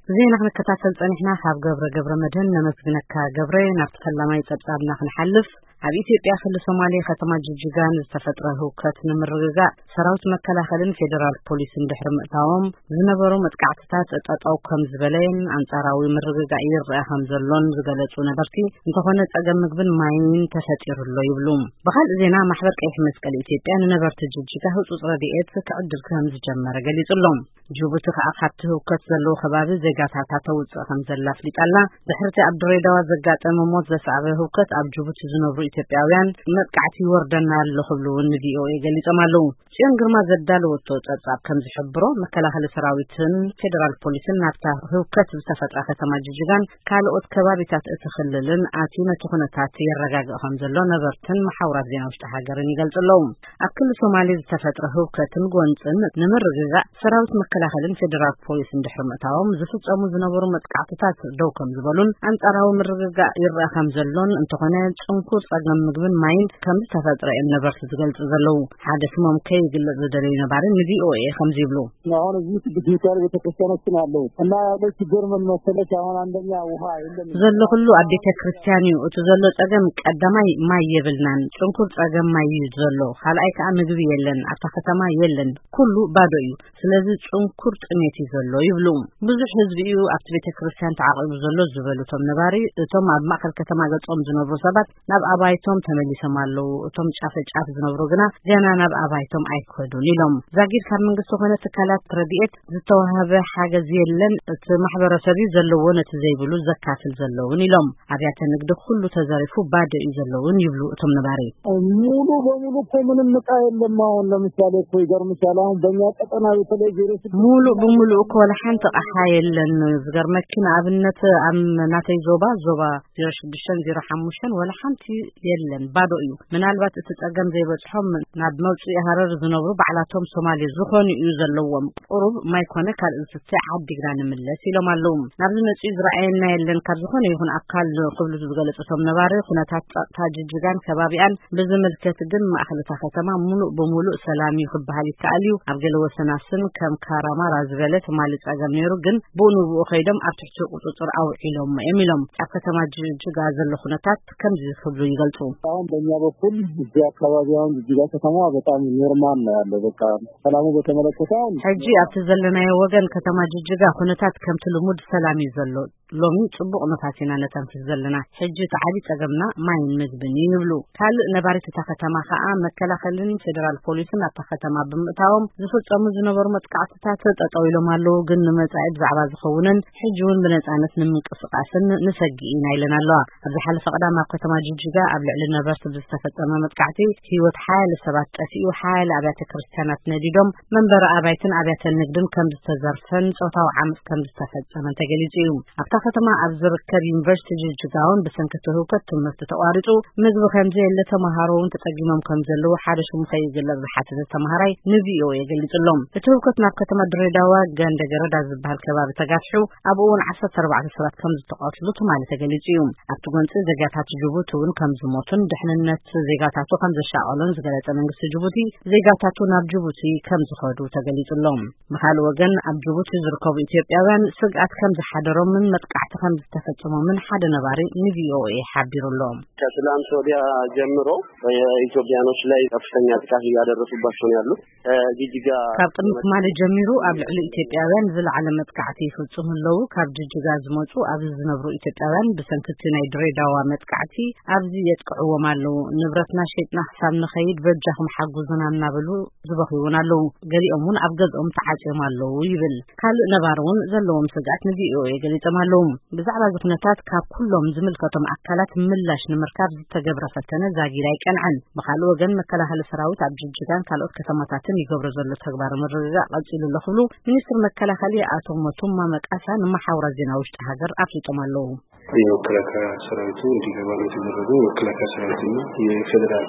ዜና ክንከታተል ጸኒሕና። ካብ ገብረ ገብረ መድህን ነመስግነካ። ገብረ፣ ናብቲ ፈላማይ ጸብጻብና ክንሓልፍ፣ ኣብ ኢትዮጵያ ክልል ሶማሌ ከተማ ጅጅጋን ዝተፈጥረ ህውከት ንምርግጋእ ሰራዊት መከላኸልን ፌዴራል ፖሊስን ድሕሪ ምእታዎም ዝነበሩ መጥቃዕትታት ጠጠው ከም ዝበለየን ኣንጻራዊ ምርግጋእ ይረኣ ከም ዘሎን ዝገለጹ ነበርቲ፣ እንተኾነ ጸገም ምግብን ማይን ተፈጢሩ ኣሎ ይብሉ። ብኻልእ ዜና፣ ማሕበር ቀይሕ መስቀል ኢትዮጵያ ንነበርቲ ጅጅጋ ህጹጽ ረድኤት ክዕድል ከም ዝጀመረ ገሊጹ ኣሎ። ጅቡቲ ከኣ ካብቲ ህውከት ዘለዎ ከባቢ ዜጋታታ ተውጽእ ከም ዘላ ኣፍሊጣ ኣላ። ድሕርቲ ኣብ ድሬዳዋ ዘጋጠመ ሞት ዘስዓበ ህውከት፣ ኣብ ጅቡቲ ዝነብሩ ኢትዮጵያውያን መጥቃዕቲ ይወርደና ኣሎ ክብሉ እውን ንቪኦኤ ገሊጾም ኣለዉ። ጽዮን ግርማ ዘዳለወቶ ጸብጻብ ከም ዝሕብሮ፣ መከላኸሊ ሰራዊትን ፌዴራል ፖሊስን ናብታ ህውከት ዝተፈጥራ ከተማ ጅጅጋን ካልኦት ከባቢታት እቲ ክልልን ኣትዩ ነቲ ኩነታት የረጋግእ ከም ዘሎ ነበርትን መሓውራት ዜና ውሽጢ ሃገርን ይገልጹ ኣለዉ። ኣብ ክልል ሶማሌ ዝተፈጥረ ህውከትን ጎንጽን ንምርግጋእ ሰራዊት መከላኸልን ፌዴራል ፖሊስን ድሕሪ ምእታዎም ዝፍጸሙ ዝነበሩ መጥቃዕትታት ደው ከም ዝበሉን ኣንጻራዊ ምርግጋእ ይረኣ ከም ዘሎን፣ እንተኾነ ጽንኩር ጸገም ምግብን ማይን ከም ዝተፈጥረ እዮም ነበርቲ ዝገልጹ ዘለዉ። ሓደ ስሞም ከይግለጽ ዝደለዩ ነባሪ ንቪኦኤ ከምዚ ይብሉ። አሁን እዚህ ዲጂታል ቤተክርስቲያኖችን አለው እና ያለው ችግር ምን መሰለሽ? አሁን አንደኛ ውሃ የለም። ዘሎ ኩሉ ኣብ ቤተ ክርስቲያን እዩ። እቲ ዘሎ ጸገም ቀዳማይ ማይ የብልናን። ጽንኩር ጸገም ማይ እዩ ዘሎ። ካልኣይ ከኣ ምግቢ የለን። ኣብታ ከተማ የለን። ኩሉ ባዶ እዩ። ስለዚ ጽንኩር ጥሜት እዩ ዘሎ ይብሉ። ብዙሕ ህዝቢ እዩ ኣብቲ ቤተ ክርስቲያን ተዓቂቡ ዘሎ ዝበሉ እቶም ነባሪ፣ እቶም ኣብ ማእከል ከተማ ገጾም ዝነብሩ ሰባት ናብ ኣባይቶም ተመሊሶም ኣለዉ። እቶም ጫፈ ጫፍ ዝነብሩ ግና ገና ናብ ኣባይቶም ኣይከዱን ኢሎም። ዛጊድ ካብ መንግስቲ ኮነ ትካላት ረድኤት ዝተዋህበ ሓገዝ የለን። እቲ ማሕበረሰብ እዩ ዘለዎ ነቲ ዘይብሉ ዘካፍል ዘለውን ኢሎም። ኣብያተ ንግዲ ኩሉ ተዘሪፉ ባዶ እዩ ዘለውን ይብሉ እቶም ነባሪ። ሙሉ በሙሉ እኮ ምንም እቃ የለም። አሁን ለምሳሌ እኮ ይገርምሻል። አሁን በእኛ ቀጠና በተለይ ዜሮ ስድስት ሙሉ ብሙሉ እኮ ወላ ሓንቲ ኣቕሓ የለን። ዝገርመኪ ንኣብነት ኣብ ናተይ ዞባ፣ ዞባ ዜሮ ሽዱሽተን ዜሮ ሓሙሽተን ወላ ሓንቲ የለን፣ ባዶ እዩ። ምናልባት እቲ ጸገም ዘይበጽሖም ናብ መውጽኢ ሃረር ዝነብሩ ባዕላቶም ሶማሌ ዝኾኑ እዩ ዘለዎም። ቁሩብ ማይ ኮነ ካልእ ዝስተ ዓዲግና ንምለስ ኢሎም ኣለዉ። ናብዚ መጺኡ ዝረኣየና የለን ካብ ዝኾነ ይኹን ኣካል ክብሉ ዝገለጹ እቶም ነባሪ፣ ኩነታት ጸጥታ ጅጅጋን ከባቢኣን ብዝምልከት ግን ማእከል እታ ከተማ ሙሉእ ብሙሉእ ሰላም እዩ ክበሃል ይከኣል እዩ። ኣብ ገለ ወሰናስን ከም ካራማራ ዝበለ ትማሊ ጸገም ነይሩ፣ ግን ብኡ ንብኡ ከይዶም ኣብ ትሕቲ ቁጽጽር ኣውዒሎሞ እዮም ኢሎም። ኣብ ከተማ ጅጅጋ ዘሎ ኩነታት ከምዚ ክብሉ ይገልጹ። አሁን በእኛ በኩል እዚህ አካባቢ አሁን ጅጅጋ ከተማ በጣም ኖርማል ነው ያለው። በቃ ሰላሙ በተመለከተ አሁን ሕጂ ኣብቲ ዘለናዮ ወገን ከተማ ጅጅጋ ኩነታት ከምቲ ልሙድ ሰላም እዩ ዘሎ። ሎሚ ጽቡቕ ነፋስ ኢና ነተንፍስ ዘለና። ሕጂ እቲ ዓቢ ጸገምና ማይን ምግብን እዩ ይብሉ። ካልእ ነባሪት እታ ከተማ ከኣ መከላኸልን ፌዴራል ፖሊስን ኣብታ ከተማ ብምእታዎም ዝፍጸሙ ዝነበሩ መጥቃዕትታት ጠጠው ኢሎም ኣለዉ፣ ግን ንመጻኢ ብዛዕባ ዝኸውንን ሕጂ እውን ብነጻነት ንምንቅስቃስን ንሰግእ ኢና ኢለን ኣለዋ። ኣብ ዝሓለፈ ቀዳም ኣብ ከተማ ጅጅጋ ኣብ ልዕሊ ነበርቲ ብዝተፈጸመ መጥቃዕቲ ህይወት ሓያለ ሰባት ጠፊኡ፣ ሓያለ ኣብያተ ክርስቲያናት ነዲዶም፣ መንበሪ ኣባይትን ኣብያተ ንግድን ከም ዝተዘርፈን ጾታዊ ዓመጽ ከም ዝተፈጸመን ተገሊጹ እዩ። ኣብታ ከተማ ኣብ ዝርከብ ዩኒቨርሲቲ ጅጅጋ እውን ብሰንኪ እቲ ህውከት ትምህርቲ ተቋሪጹ፣ ምግቢ ከም ዘየለ፣ ተመሃሮ እውን ተጸጊሞም ከም ዘለዉ ሓደ ሽሙ ከይግለጽ ዝሓተተ ተመሃራይ ንቪኦኤ ገሊጹ ኣሎ። እቲ ህውከት ናብ ከተማ ድሬዳዋ ገንደ ገረዳ ዝበሃል ከባቢ ተጋፊሑ፣ ኣብ እውን ዓሰርተ ኣርባዕተ ሰባት ከም ዝተቐትሉ ትማሊ ተገሊጹ እዩ። ኣብቲ ጎንጺ ዜጋታት ጅቡቲ እውን ከም ዝሞቱን ድሕንነት ዜጋታቱ ከም ዘሻቐሎን ዝገለጸ መንግስቲ ጅቡቲ፣ ዜጋታቱ ናብ ጅቡቲ ከም ዝኸዱ ተገሊጹ ኣሎ። ብኻልእ ወገን፣ ኣብ ጅቡቲ ዝርከቡ ኢትዮጵያውያን ስግኣት ከም ዝሓደሮምን መጥቃዕቲ ከም ዝተፈጸሞምን ሓደ ነባሪ ንቪኦኤ ሓቢሩ ኣሎ። ከትላንት ወዲያ ጀምሮ በኢትዮጵያኖች ላይ ከፍተኛ ጥቃት እያደረሱባቸው ነው ያሉት። እ፣ ጅጅጋ ካብ ቅድሚ ትማሊ ጀሚሩ ኣብ ልዕሊ ኢትዮጵያውያን ዝለዓለ መጥቃዕቲ ይፍጽሙ ኣለዉ። ካብ ጅጅጋ ዝመጹ ኣብዚ ዝነብሩ ኢትዮጵያውያን ብሰንኪ እቲ ናይ ድሬዳዋ መጥቃዕቲ ኣብዚ የጥቅዕዎም ኣለዉ። ንብረትና ሸይጥና ክሳብ ንኸይድ በጃኹም ሓጉዙና እናበሉ ዝበኽዩ እውን ኣለዉ። ገሊኦም እውን ኣብ ገዝኦም ተዓጽዮም ኣለዉ ይብል። ካልእ ነባሪ እውን ዘለዎም ስግኣት ንቪኦኤ ገሊጾም ኣለዉ። ብዛዕባ እዚ ኩነታት ካብ ኩሎም ዝምልከቶም ኣካላት ምላሽ ንምርካብ ዝተገብረ ፈተነ ዛጊድ ኣይቀንዐን። ብኻልእ ወገን፣ መከላኸሊ ሰራዊት ኣብ ጅጅጋን ካልኦት ከተማታትን ይገብሮ ዘሎ ተግባር ምርግጋእ ቀጺሉ ኣሎ ክብሉ ሚኒስትር መከላኸሊ ኣቶ ሞቱማ መቃሳ ንመሓውራት ዜና ውሽጢ ሃገር ኣፍሊጦም ኣለዉ። የመከላከያ ሰራዊቱ እንዲገባ ነው የተደረገው። የመከላከያ ሰራዊትና የፌዴራል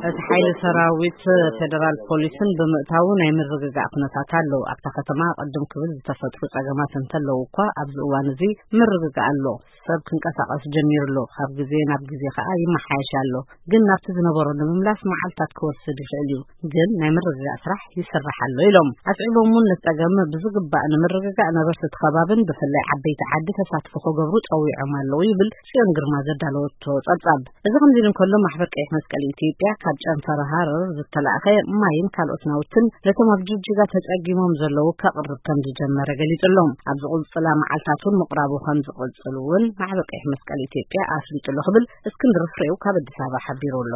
እቲ ሓይሊ ሰራዊት ፌደራል ፖሊስን ብምእታዉ ናይ ምርግጋእ ኩነታት ኣሎ። ኣብታ ከተማ ቅድም ክብል ዝተፈጥሩ ጸገማት እንተለዉ እኳ ኣብዚ እዋን እዚ ምርግጋእ ኣሎ። ሰብ ክንቀሳቐስ ጀሚሩ ኣሎ። ካብ ግዜ ናብ ግዜ ከኣ ይመሓየሽ ኣሎ። ግን ናብቲ ዝነበሮ ንምምላስ መዓልታት ክወስድ ይኽእል እዩ። ግን ናይ ምርግጋእ ስራሕ ይስራሕ ኣሎ ኢሎም። ኣስዒቦም እውን ነቲ ጸገም ብዝግባእ ንምርግጋእ ነበርቲ እቲ ከባብን ብፍላይ ዓበይቲ ዓዲ ተሳትፎ ክገብሩ ጸዊዖም ኣለዉ ይብል ጽዮን ግርማ ዘዳለወቶ ጸብጻብ። እዚ ከምዚ ኢሉ እንከሎ ማሕበር ቀይሕ መስቀል ኢትዮጵያ ካብ ጨንፈር ሃረር ዝተላእኸ ማይን ካልኦት ናውትን ነቶም ኣብ ጅጅጋ ተጸጊሞም ዘለዉ ከቕርብ ከም ዝጀመረ ገሊጹ ኣሎ። ኣብ ዝቕጽላ መዓልታት እውን ምቕራቡ ከም ዝቕጽል እውን ማሕበር ቀይሕ መስቀል ኢትዮጵያ ኣፍሊጡ ኣሎ ክብል እስክንድር ፍሬው ካብ ኣዲስ ኣበባ ሓቢሩ ኣሎ።